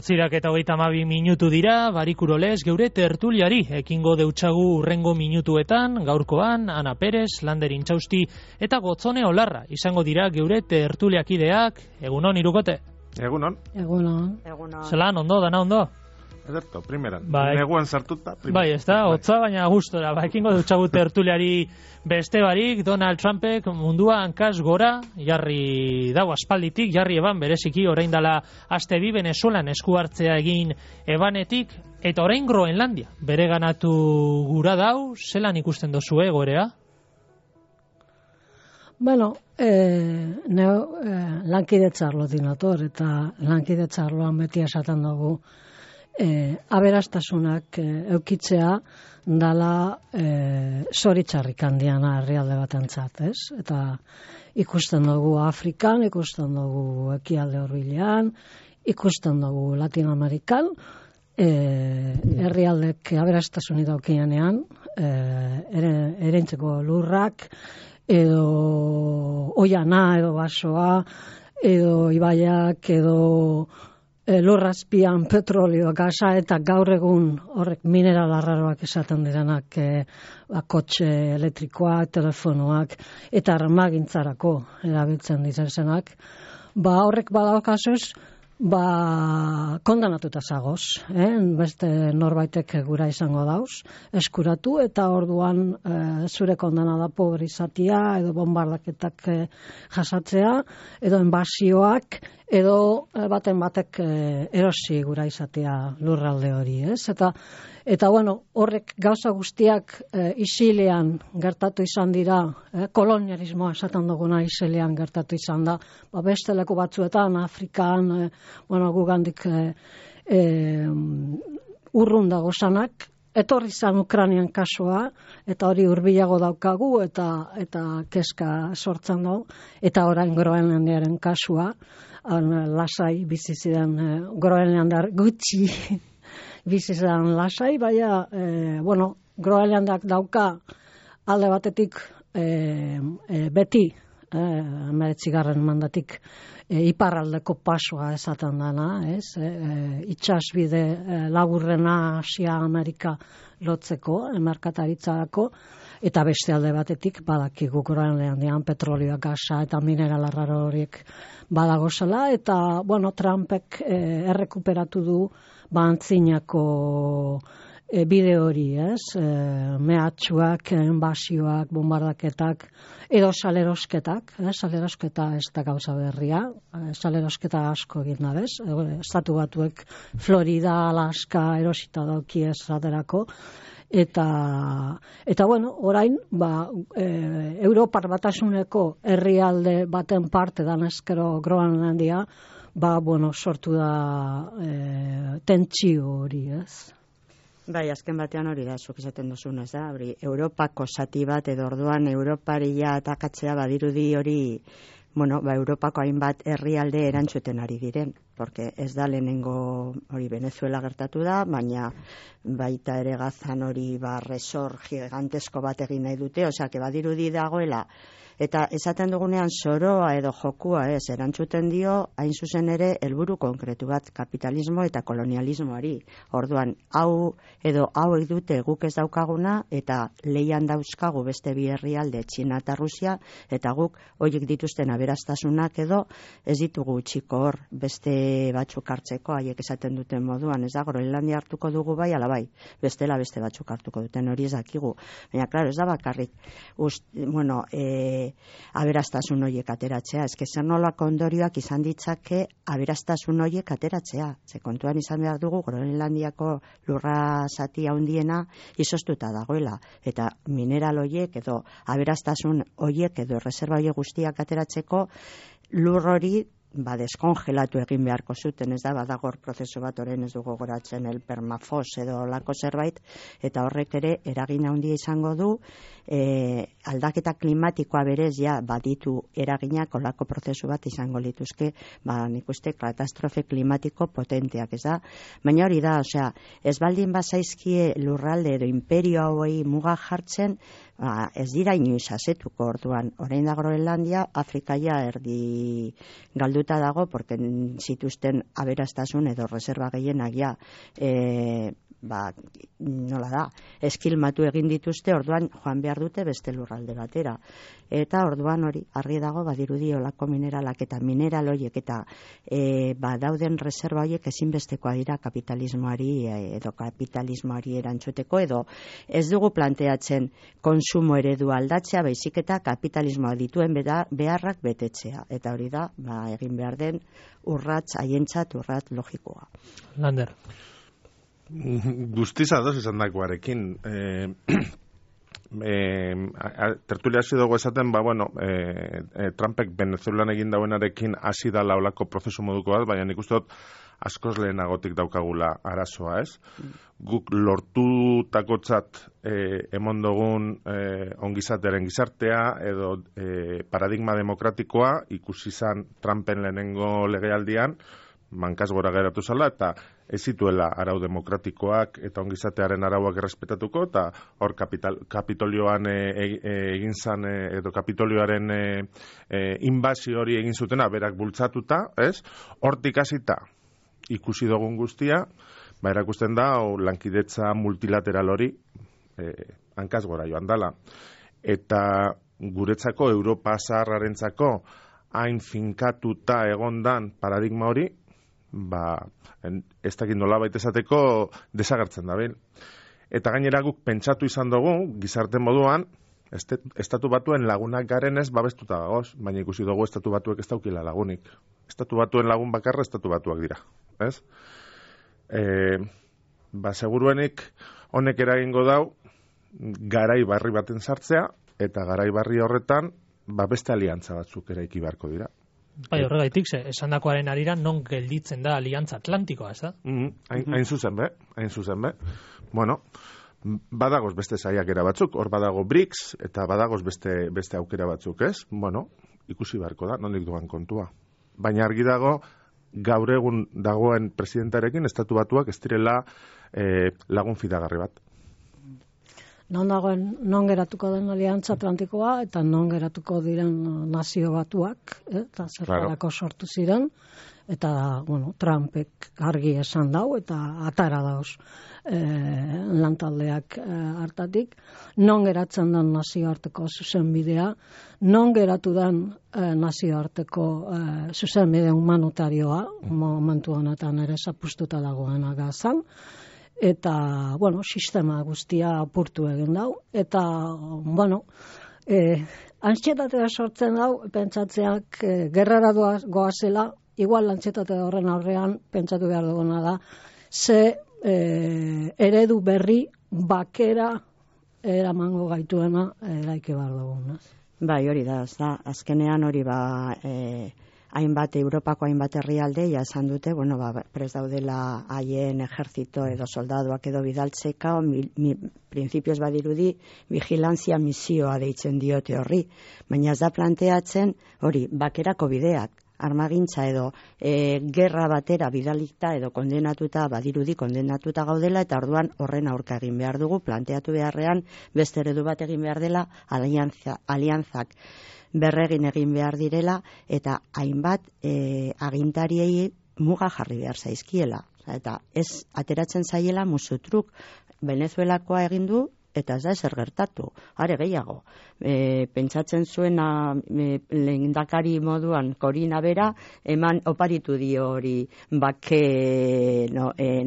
8:32 dira, barikuroles geure tertuliari ekingo deutsagu urrengo minutuetan, gaurkoan, Ana Perez, Lander Intxausti eta Gotzone Olarra izango dira geure tertuliakideak. Egunon, Irukote? Egunon. Zelan, ondo, dana ondo? Ederto, primeran. Bai. Neguan sartuta. Bai, ez da, hotza baina gustora. Ekingo deutsagu tertuliari beste barik, Donald Trumpek mundua hankaz gora, jarri dago aspalditik, jarri eban bereziki, orain dala aste bi Venezuelan esku hartzea egin ebanetik, eta orain Groenlandia. Bere ganatu gura dau, zelan ikusten dozu egoerea? Bueno, lankidetzarlo dinator, eta lankidetzarloan beti esaten dugu, aberastasunak eukitzea dala zoritxarrik handiana herrialde batentzat, ez? Eta ikusten dugu Afrikan, ikusten dugu Ekialde Hurbilean, ikusten dugu Latinoamerikan, herrialdek aberastasunik daukienean, erentzeko lurrak, edo oiana, edo basoa, edo ibaiak, edo lurrazpian petrolio, gasa, eta gaur egun horrek mineral arraroak esaten direnak, kotxe elektrikoak, telefonoak, eta armagintzarako erabiltzen dizenak, horrek badaukazuz, kondanatuta zagoz, beste norbaitek gura izango dauz, eskuratu, eta orduan zure kondanada pobrizatia, edo bombardaketak jasatzea, edo inbasioak, edo batek erosi gura izatea lurralde hori, ez? Eta bueno, horrek gauza guztiak isilean gertatu izan dira, kolonialismoa esaten duguna isilean gertatu izan da, beste leku batzuetan, Afrikan, gugandik urrun dago zanak, etorri zan Ukrainian kasua, eta hori hurbilago daukagu, eta kezka sortzen dugu, eta orain Groenlandiaren kasua, lasai bizi ziren Groenlandar gutxi bizi ziren lasai, baina, Groenlandak dauka alde batetik beti, 19. mandatik, iparraldeko pasoa esaten dana, ez? Itxasbide laburrena Asia Amerika lotzeko, merkataritzarako, eta beste alde batetik badakigu Groenlandian petrolioa, gasa eta mineral arraro horiek badagozela, eta, Trumpek errekuperatu du antzinako bide hori, ez? Mehatxuak, enbasioak, bombardaketak, edo salerosketak, salerosketa ez da gauza berria, salerosketa asko egin da, bez? Estatu Batuek Florida, Alaska, erosita dauki ez aterako, eta orain, Europar Batasuneko herrialde baten parte danezkero Groenlandia, sortu da tentsio hori, ez? Bai, azken batean hori da, zuk esaten duzun, ez da, Europako zati bat, edo orduan Europaria atakatzea badirudi hori, Europako hainbat herrialde erantzuten ari diren, porque ez da lehenengo hori Venezuela gertatu da, baina baita ere Gazan hori resor gigantesko bat egin nahi dute, osea, badirudi dagoela, eta esaten dugunean zoroa edo jokua ez, erantzuten dio, hain zuzen ere, helburu konkretu bat, kapitalismo eta kolonialismoari. Orduan, hau dute guk ez daukaguna, eta leian dauzkagu beste bi herrialde, Txina eta Rusia, eta guk horiek dituzten aberastasunak edo ez ditugu txiko hor beste batzuk hartzeko, haiek esaten duten moduan, ez da, Groenlandia hartuko dugu bai, ala bai, bestela beste batzuk hartuko duten hori ez dakigu. Baina, klaro, ez da bakarrik, aberastasun horiek ateratzea. Ez zer nolako ondorioak izan ditzake aberastasun horiek ateratzea. Ze kontuan izan behar dugu Groenlandiako lurra zati handiena izoztuta dagoela. Eta mineral horiek edo aberastasun horiek edo reserva horiek guztiak ateratzeko lur hori deskongelatu egin beharko zuten, ez da, badagor prozesu bat orain ez dugu goratzen el permafos edo lako zerbait, eta horrek ere eragin handia izango du, aldaketa klimatikoa berez baditu eraginak olako prozesu bat izango lituzke, nik uste katastrofe klimatiko potenteak, ez da, baina hori da, osea, ez baldin bazaizkie lurralde edo imperio hauei muga jartzen, ez dira inoiz asetuko orduan, orain da Groenlandia, Afrikaia erdi galdu lotuta dago, porque zituzten aberastasun edo reserva gehienak ja, nola da, eskilmatu egin dituzte, orduan joan behar dute beste lurralde batera. Eta orduan hori, argi dago, badirudi olako mineralak eta mineral horiek eta dauden reserva horiek ezinbestekoa dira kapitalismoari edo kapitalismoari erantzuteko, edo ez dugu planteatzen konsumo eredu aldatzea, baizik eta kapitalismoa dituen beharrak betetzea. Eta hori da, egin behar den urrats, haientzat urrat logikoa. Lander. Guztiz ados izan dakoarekin. Tertulia hasi dugu esaten, Trumpek Venezuelan egin dauenarekin hasi da laulako prozesu moduko bat, baina nik uste dut askoz lehenagotik daukagula arazoa, ez? Guk lortutakotzat emon dugun ongizatearen gizartea edo paradigma demokratikoa ikusi izan Trumpen lehenengo legealdian, mankaz gora geratu zala, eta ez zituela arau demokratikoak eta ongizatearen arauak errespetatuko, eta hor Kapitolioan egin zan, edo Kapitolioaren inbazio hori egin zutena, berak bultzatuta, ez? Hortik hasita ikusi dugun guztia, erakusten da, lankidetza multilateral hori hankaz gora joan dala. Eta guretzako, Europa zaharrarentzako, hain finkatuta egondan paradigma hori, ez dakit nolabait esateko desagertzen da ben. Eta gainera guk pentsatu izan dugu, gizarte moduan, estatu batuen lagunak garenez babestuta dagoz, baina ikusi dugu estatu batuek ez daukila lagunik. Estatu batuen lagun bakarra estatu batuak dira, ez? Seguruenik honek eragingo dau garai barri baten sartzea, eta garai barri horretan beste aliantza batzuk eraiki beharko dira. Bai, horregaitik, esandakoaren arira non gelditzen da Aliantza Atlantikoa, ez da? Hain zuzen be. Bueno, badagoz beste saiakera batzuk, hor badago BRICS, eta badagoz beste aukera batzuk, ez? Bueno, ikusi beharko da, nondik duan kontua. Baina argi dago, gaur egun dagoen presidentarekin, estatu batuak ez direla lagun fidagarri bat. Non geratuko den Aliantza Atlantikoa eta non geratuko diren nazio batuak, eta zertarako sortu ziren, eta, Trumpek argi esan dau, eta atara dauz lantaldeak hartatik, non geratzen den nazioarteko zuzenbidea, non geratu den nazioarteko zuzenbide humanitarioa, momentu honetan ere zapustuta dagoena gazan, eta, sistema guztia apurtu egin dau, eta, antxetatea sortzen dau, pentsatzeak gerrara goazela, igual antxetatea horren aurrean, pentsatu behar duguna da, ze eredu berri bakera eramango gaituena eraiki behar duguna. Bai, hori da, azkenean hori Europako hainbat herrialde esan dute, prest daudela haien ejertzito edo soldaduak edo bidaltzeka, printzipioz badirudi vigilantzia misioa deitzen diote horri, baina ez da planteatzen hori bakerako bideak, armagintza edo gerra batera bidalikta edo kondenatuta, badirudi kondenatuta gaudela, eta orduan horren aurka egin behar dugu, planteatu beharrean beste eredu bat egin behar dela, aliantzak berregin egin behar direla, eta hainbat agintariei muga jarri behar zaizkiela. Eta ez ateratzen zaiela musutruk Venezuelakoa egin du, eta ez da ezer gertatu. Are gehiago, pentsatzen zuena lehendakari moduan Korina bera, eman oparitu dio hori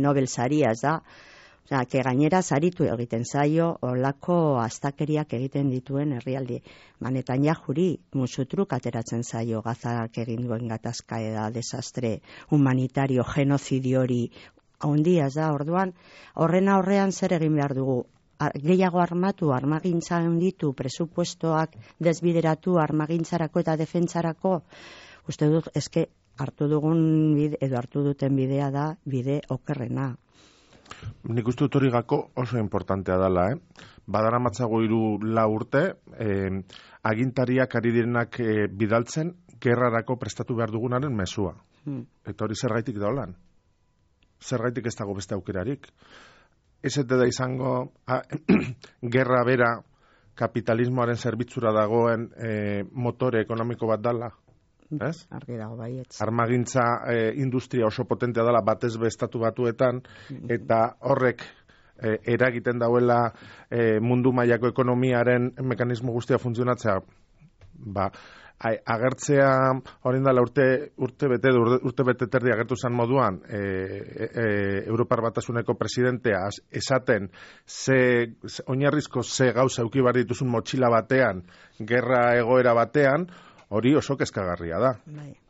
Nobel saria, ez da? Que gainera zaritu egiten zaio olako astakeriak egiten dituen herrialdi. Netanjahuri musutruk ateratzen zaio Gazak egin duen gatazka eda desastre humanitario, genozidio hori handia da. Orduan, horren aurrean zer egin behar dugu? Gehiago armatu, armagintza handitu, presupuestoak desbideratu armagintzarako eta defentsarako. Uste dut, hartu dugun edo hartu duten bidea da bide okerrena. Nik uste dut hori gako oso importantea dela, Badara matzago 3-4 urte, agintariak ari direnak bidaltzen, gerrarako prestatu behar dugunaren mezua. Eta hori zergaitik da holan. Zergaitik ez dago beste aukerarik. Ez da izango, gerra bera kapitalismoaren zerbitzura dagoen motore ekonomiko bat dala. ez? Argi dago baietz. Armagintza industria oso potentea dela batez be Estatu Batuetan, eta horrek eragiten dauela mundu mailako ekonomiaren mekanismo guztia funtzionatzea, agertzea orain dela urte bete terdi agertu zen moduan Europar Batasuneko presidentea esaten oinarrizko ze gauza eduki behar dituzun motxila batean, gerra egoera batean, hori oso kezkagarria da.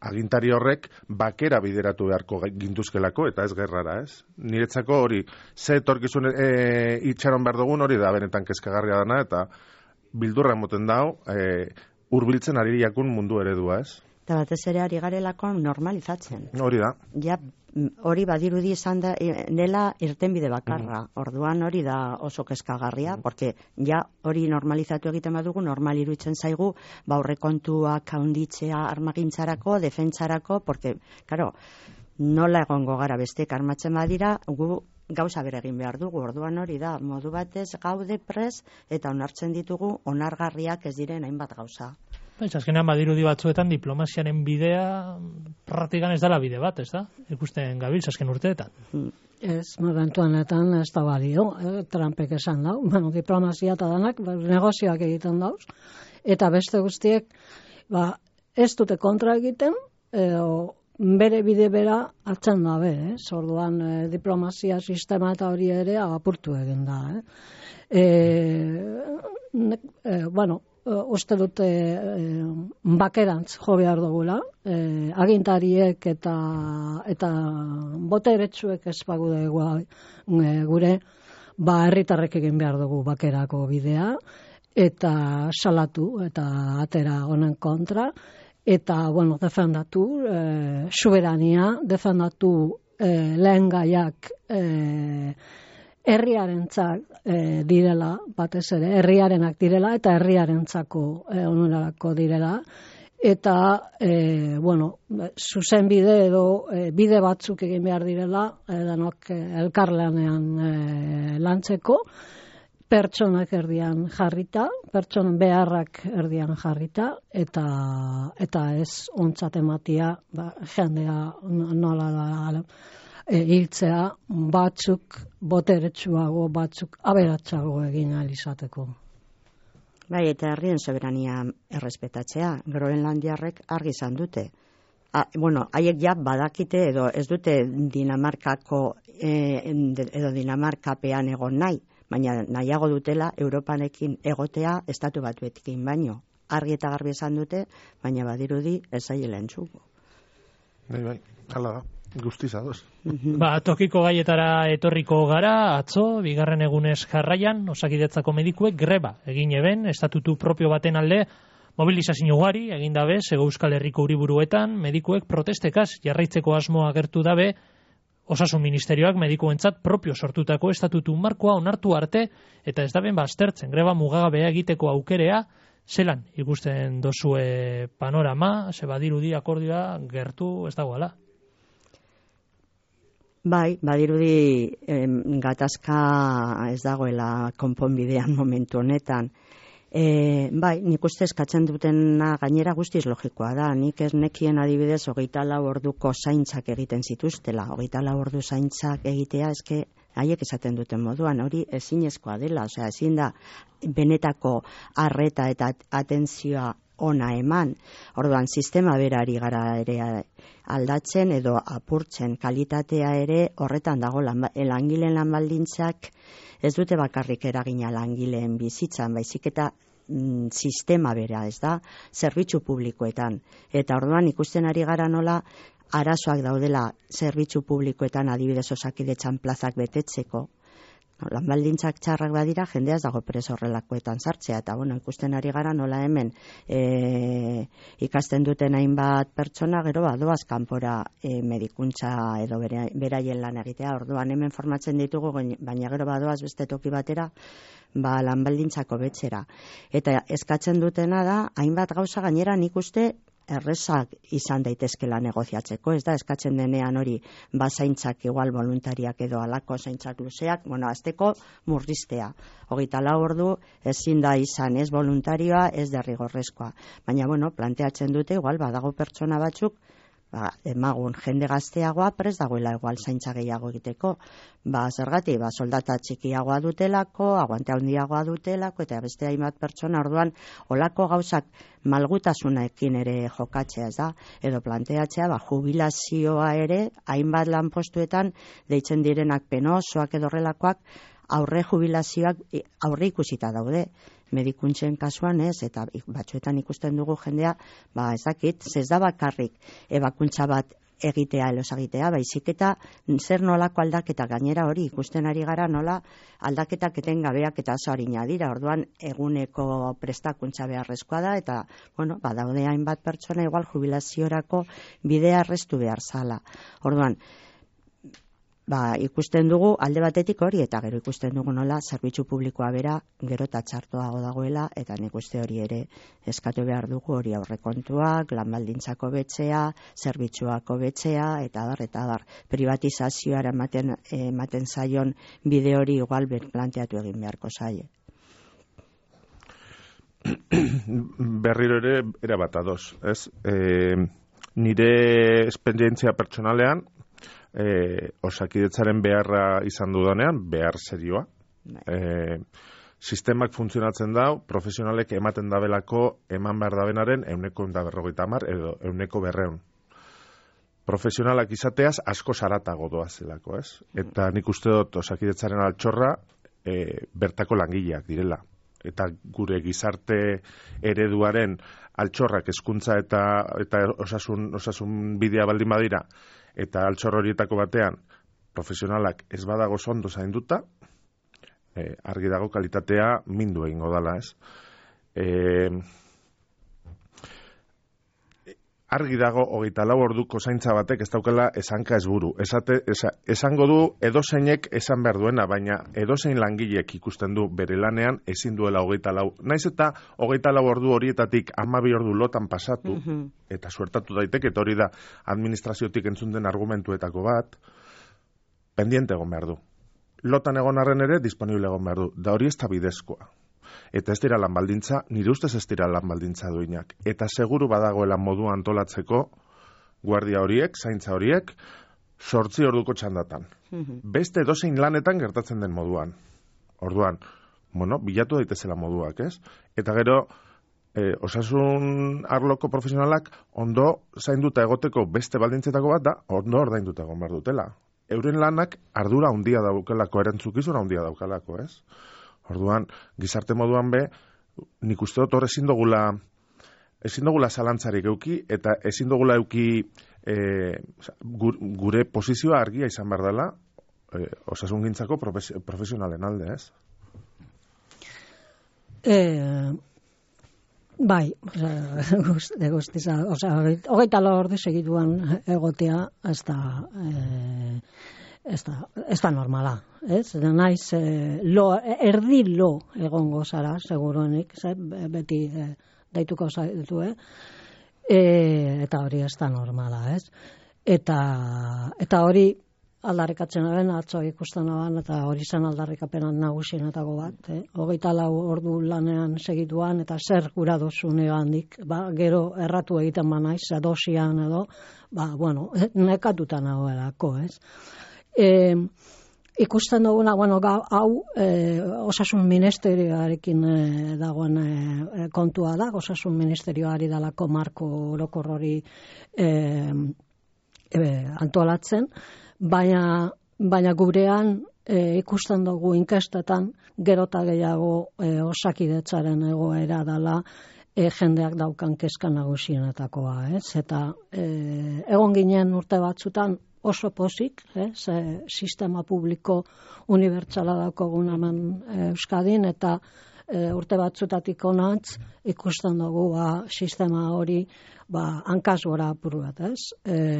Agintari horrek bakera bideratu beharko gintuzkelako, eta ez gerrara, ez? Niretzako hori, ze etorkizun itxaron behar dugun hori da, benetan kezkagarria dana, eta bildurra emoten dau, hurbiltzen ari jakun mundu eredua, ez? Eta batez ere ari garelako normalizatzen. Hori da. Ja, hori badirudi izan da, nela irtenbide bakarra. Orduan hori da oso kezkagarria, porque ja hori normalizatu egiten badugu, normal iruditzen zaigu, aurrekontuak handitzea armagintzarako, defentsarako, porque, claro, nola egongo gara bestek armatzen badira, gu gauza bere egin behar dugu. Orduan hori da, modu batez gaude pres eta onartzen ditugu onargarriak ez diren hainbat gauza. Azkenean badirudi batzuetan diplomaziaren bidea praktikan ez dela bide bat, ez da? Ikusten gabiltz azken urteetan. Ez, momentuanetan ez da balio, Trumpek esan dau, diplomazia eta danak negozioak egiten dauz, eta beste guztiek ez dute kontra egiten, bere bide bera hartzen dabe, orduan diplomazia sistema eta hori ere apurtu egin da. Uste dute bakerantz jo behar dugula, agintariek eta boteretsuek ez bagude gure, herritarrek egin behar dugu bakerako bidea, eta salatu eta atera honen kontra, eta, defendatu soberania, defendatu lehen gaiak herriarentzak direla, batez ere, herriarenak direla, eta herriarentzako onurarako direla, eta, zuzen bide edo bide batzuk egin behar direla, denok elkarlanean lantzeko, pertsonak erdian jarrita, pertsonen beharrak erdian jarrita, eta ez ontzat ematia, jendea nola da, hiltzea batzuk boteretsuago, batzuk aberatsago egin ahal izateko. Bai, eta herrien soberania errespetatzea, Groenlandiarrek argi izan dute. Haiek ja badakite edo ez dute Dinamarkako edo Dinamarkapean egon nahi, baina nahiago dutela Europanekin egotea Estatu Batuekin baino. Argi eta garbi esan dute, baina badirudi ez zaiela entzuko. Bai, hala da. Guztiz ados. Tokiko gaietara etorriko gara, atzo, bigarren egunez jarraian, Osakidetzako medikuek greba egin eben, estatutu propio baten alde, mobilizazio ugari egin dabe, Hego Euskal Herriko hiriburuetan, medikuek protestekaz jarraitzeko asmoa agertu dabe, Osasun Ministerioak medikuentzat propio sortutako estatutu markoa onartu arte, eta ez daben baztertzen, greba mugagabea egiteko aukerea, zelan ikusten dozue panorama, ze badirudi akordioa gertu ez dagoela. Bai, badirudi gatazka ez dagoela konponbidean momentu honetan. Bai, nik uste eskatzen dutena gainera guztiz logikoa da. Nik ez nekien adibidez 24 orduko zaintzak egiten zituztela. 24 ordu zaintzak egitea eske haiek esaten duten moduan, hori ezinezkoa dela. Osea, ezin da benetako arreta eta atentzioa ona eman. Orduan, sistema berari gara ere aldatzen edo apurtzen, kalitatea ere horretan dago. Langileen lanbaldintzak ez dute bakarrik eragina langileen bizitzan, baizik eta sistema bera, ez da, zerbitzu publikoetan. Eta orduan ikusten ari gara nola arazoak daudela zerbitzu publikoetan, adibidez Osakidetzan plazak betetzeko. Lanbaldintzak txarrak badira, jendea ez dago preso horrelakoetan sartzea, eta ikusten ari gara nola hemen ikasten duten hainbat pertsona, gero doaz kanpora medikuntza edo beraien lan egitea. Orduan hemen formatzen ditugu, baina gero badoaz beste toki batera, lanbaldintzako betzera. Eta eskatzen dutena da, hainbat gauza gainera nik uste errezak izan daitezkela negoziatzeko, ez da, eskatzen denean hori zaintzak igual voluntariak edo alako zaintzak luzeak, azteko murriztea. 24 ordu ezin da izan ez voluntarioa, ez derrigorrezkoa. Baina, planteatzen dute, igual, badago pertsona batzuk, emagun jende gazteagoa prest dagoela igual zaintza gehiago egiteko. Zergatik, soldata txikiagoa dutelako, aguante handiagoa dutelako, eta beste hainbat pertsona, orduan, olako gauzak malgutasunekin ere jokatzea, ez da? Edo planteatzea, jubilazioa ere, hainbat lanpostuetan, deitzen direnak penosoak edo horrelakoak, aurre jubilazioak aurre ikusita daude. Medikuntzen kasuan ez, eta batzuetan ikusten dugu jendea, ez dakit, ez da bakarrik ebakuntza bat egitea, elosagitea, baizik eta zer nolako aldaketa gainera hori ikusten ari gara nola aldaketak etengabeak eta oso arina dira, orduan eguneko prestakuntza beharrezkoa da, eta, badaude hainbat pertsona igual jubilaziorako bidea errestu behar zala. Orduan, ikusten dugu alde batetik hori, eta gero ikusten dugu nola zerbitzu publikoa bera gero eta txartoago dagoela, eta nik uste hori ere eskatu behar dugu hori aurrekontuak, lan baldintzako betzea, zerbitzuako betzea, eta bar, privatizazioara ematen zaion bide hori igual planteatu egin beharko zaie. Berriro ere erabat ados, ez? Nire esperientzia pertsonalean, Osakidetzaren beharra izan dudanean, behar serioa. Sistemak funtzionatzen dau, profesionalek ematen dabelako eman behar dabenaren 150 edo 100. Profesionalak izateaz asko saratago doazelako, ez? Eta nik uste dut Osakidetzaren altxorra bertako langileak direla. Eta gure gizarte ereduaren altxorrak hezkuntza eta osasun bidea baldin badira, eta altxor horietako batean profesionalak ez badago ondo zainduta, argi dago kalitatea mindu egingo dala, ez? Argi dago 24 orduko zaintza batek ez daukala esanka ez buru. Esango du edozeinek esan behar duena, baina edozein langilek ikusten du bere lanean ezin duela 24. Naiz eta 24 ordu horietatik 12 ordu lotan pasatu, eta suertatu daiteke, eta hori da administraziotik entzun den argumentuetako bat, pendiente egon behar du. Lotan egon arren ere disponible egon behar du, da hori ez da bidezkoa. Eta ez dira lan baldintza, nire ustez ez dira lan baldintza duinak. Eta seguru badagoela modua antolatzeko guardia horiek, zaintza horiek, 8 orduko txandatan. Beste edozein lanetan gertatzen den moduan. Orduan, bilatu daitezela moduak, ez? Eta gero, osasun arloko profesionalak ondo zainduta egoteko beste baldintzetako bat da, ondo ordainduta egon behar dutela. Euren lanak ardura handia daukalako, erantzukizuna handia daukalako, ez? Orduan, gizarte moduan nik uste dut hor ezin dugula zalantzarik euki, eta ezin dugula euki gure posizioa argia izan behar dela osasungintzako profesionalen alde, ez? Bai, guztiza, 24 ordu segituan egotea ez da normala, ez? Naiz, erdi lo egongo zara, seguruenik, beti daituko zaitu, eta hori ez da normala, ez? Eta hori aldarrikatzenaren, atzo ikusten aban, eta hori zen aldarrikapenan nagusienetako bat, 24 ordu lanean segituan, eta zer gura dozune handik, gero erratu egiten naiz, dosian edo, nekatuta nagoelako, ez? Ikusten duguna, hau osasun ministerioarekin dagoen kontua da, osasun ministerioari dalako marko orokor hori antolatzen, baina gurean ikusten dugu inkestetan gerota gehiago Osakidetzaren egoera dela jendeak daukan kezka nagusienetakoa, ez? Eta egon ginen urte batzutan oso pozik, sistema publiko unibertsala daukagun hemen Euskadin, eta urte batzutatik onatz ikusten dugu sistema hori hankaz gora apuru bat, ez?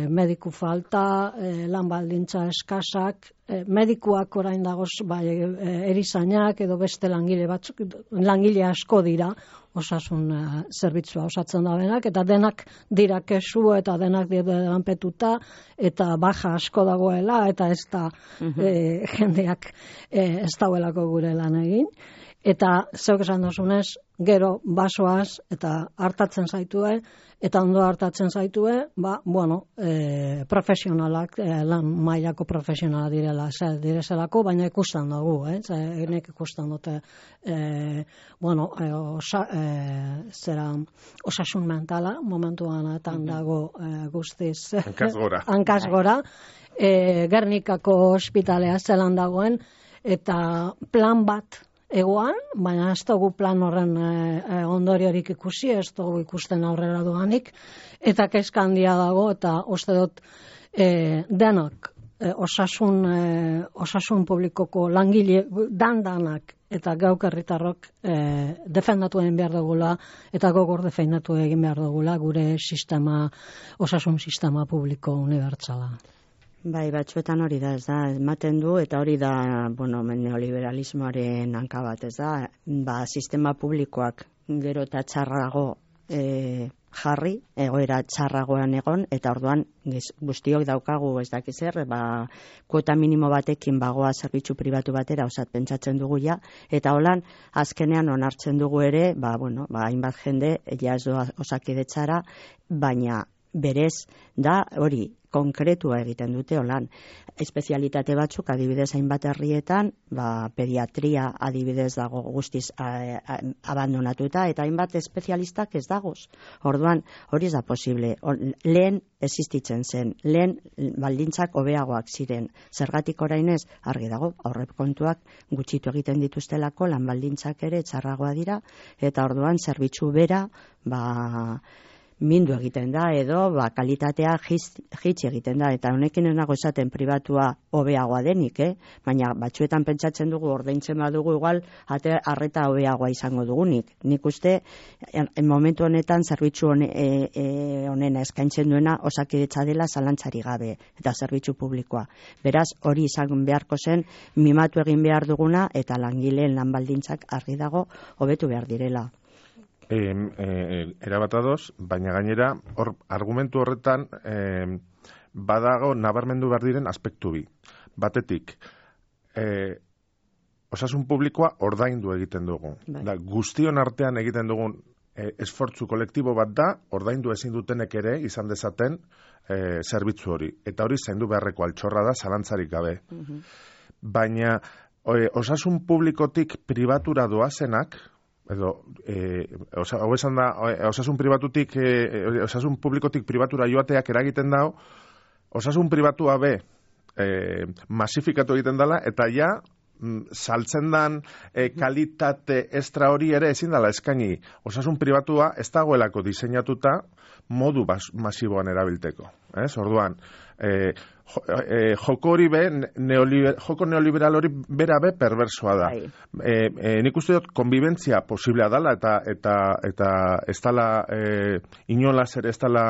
Mediku falta, lan baldintza eskasak, medikuak orain dagoz erizainak edo beste langile asko dira osasun zerbitzua osatzen da benak, eta denak dira kesu eta denak dira lanpetuta eta baja asko dagoela eta ez da jendeak ez dauelako gure lan egin. Eta zeuk esan dozunez, gero basoaz eta hartatzen zaitue, eta ondo hartatzen zaitue, profesionalak, lan mailako profesionala direzelako, baina ikusten dugu, enek ikusten dute, osasun mentala, momentuan dago guztiz. Hankaz gora. Gernikako ospitalea zelan dagoen, eta plan bat, egoan, baina ez dugu plan horren ondoriorik ikusi, ez dugu ikusten aurrera doanik, eta kezka handia dago, eta uste dut denak osasun publikoko langile danak eta gauk herritarrok defendatu egin behar dugula, eta gogor defendatu egin behar dugula gure osasun sistema publiko unibertsala. Bai, batzuetan hori da, ez da, ematen du, eta hori da, neoliberalismoaren hanka bat, ez da, sistema publikoak gero eta txarrago jarri, egoera txarragoan egon, eta orduan guztiok daukagu, ez dakiz zer, kuota minimo batekin bagoa zerbitzu pribatu batera, osat pentsatzen dugu ja, eta holan, azkenean onartzen dugu ere, hainbat jende, ja ez doa Osakidetzara, baina berez da hori konkretua egiten dute holan. Espezialitate batzuk adibidez hainbat herrietan, pediatria adibidez dago guztiz abandonatuta, eta hainbat espezialistak ez dagoz. Orduan, hori ez da posible. Lehen existitzen zen, lehen baldintzak hobeagoak ziren. Zergatik orainez argi dago, aurrekontuak gutxitu egiten dituztelako, lan baldintzak ere txarragoa dira, eta orduan zerbitzu bera, mindu egiten da, edo kalitatea jitsi egiten da, eta honekin ez nago esaten pribatua hobeagoa denik, baina batzuetan pentsatzen dugu ordaintzen badugu igual arreta hobeagoa izango dugunik. Nik uste, momentu honetan zerbitzu honena eskaintzen duena Osakidetza dela zalantzari gabe, eta zerbitzu publikoa. Beraz, hori izan beharko zen, mimatu egin behar duguna, eta langileen lan baldintzak argi dago hobetu behar direla. Erabatadoz, baina gainera, argumentu horretan badago nabarmendu behar diren aspektu bi. Batetik, osasun publikoa ordaindu egiten dugu. Guztion artean egiten dugun esfortzu kolektibo bat da, ordaindu ezin dutenek ere izan dezaten zerbitzu hori. Eta hori zaindu beharreko altxorra da, zalantzarik gabe. Baina osasun publikotik pribatura doazenak, edo, hau esan da, osasun publikotik pribatura joateak eragiten dau, osasun pribatua be masifikatu egiten dela, eta ja, saltzen dan kalitate estra hori ere ezin dela eskaini. Osasun pribatua ez dagoelako diseinatuta modu masiboan erabilteko. Orduan, joko hori be, joko neoliberal hori bera be perversoa da. Nik uste dut konbibentzia posiblea dela, eta ez dela inolaz ere ez dela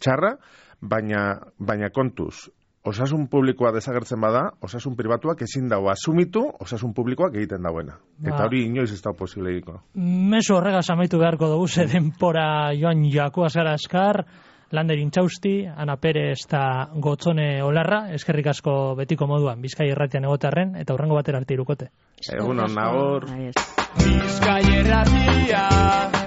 txarra, baina kontuz, osasun publikoa desagertzen bada, osasun pribatuak ezin dago asumitu osasun publikoak egiten dauena. Eta hori inoiz ez da posible egiko. Mezu horregaz amaitu beharko dugu, ze denpora joan joako azara askar, Lander Intxausti, Ana Perez eta Gotzone Olarra, eskerrik asko betiko moduan, Bizkai Irratian egotarren, eta hurrengo batera arte irukote. Egunon, nagor. Bizkai Irratia.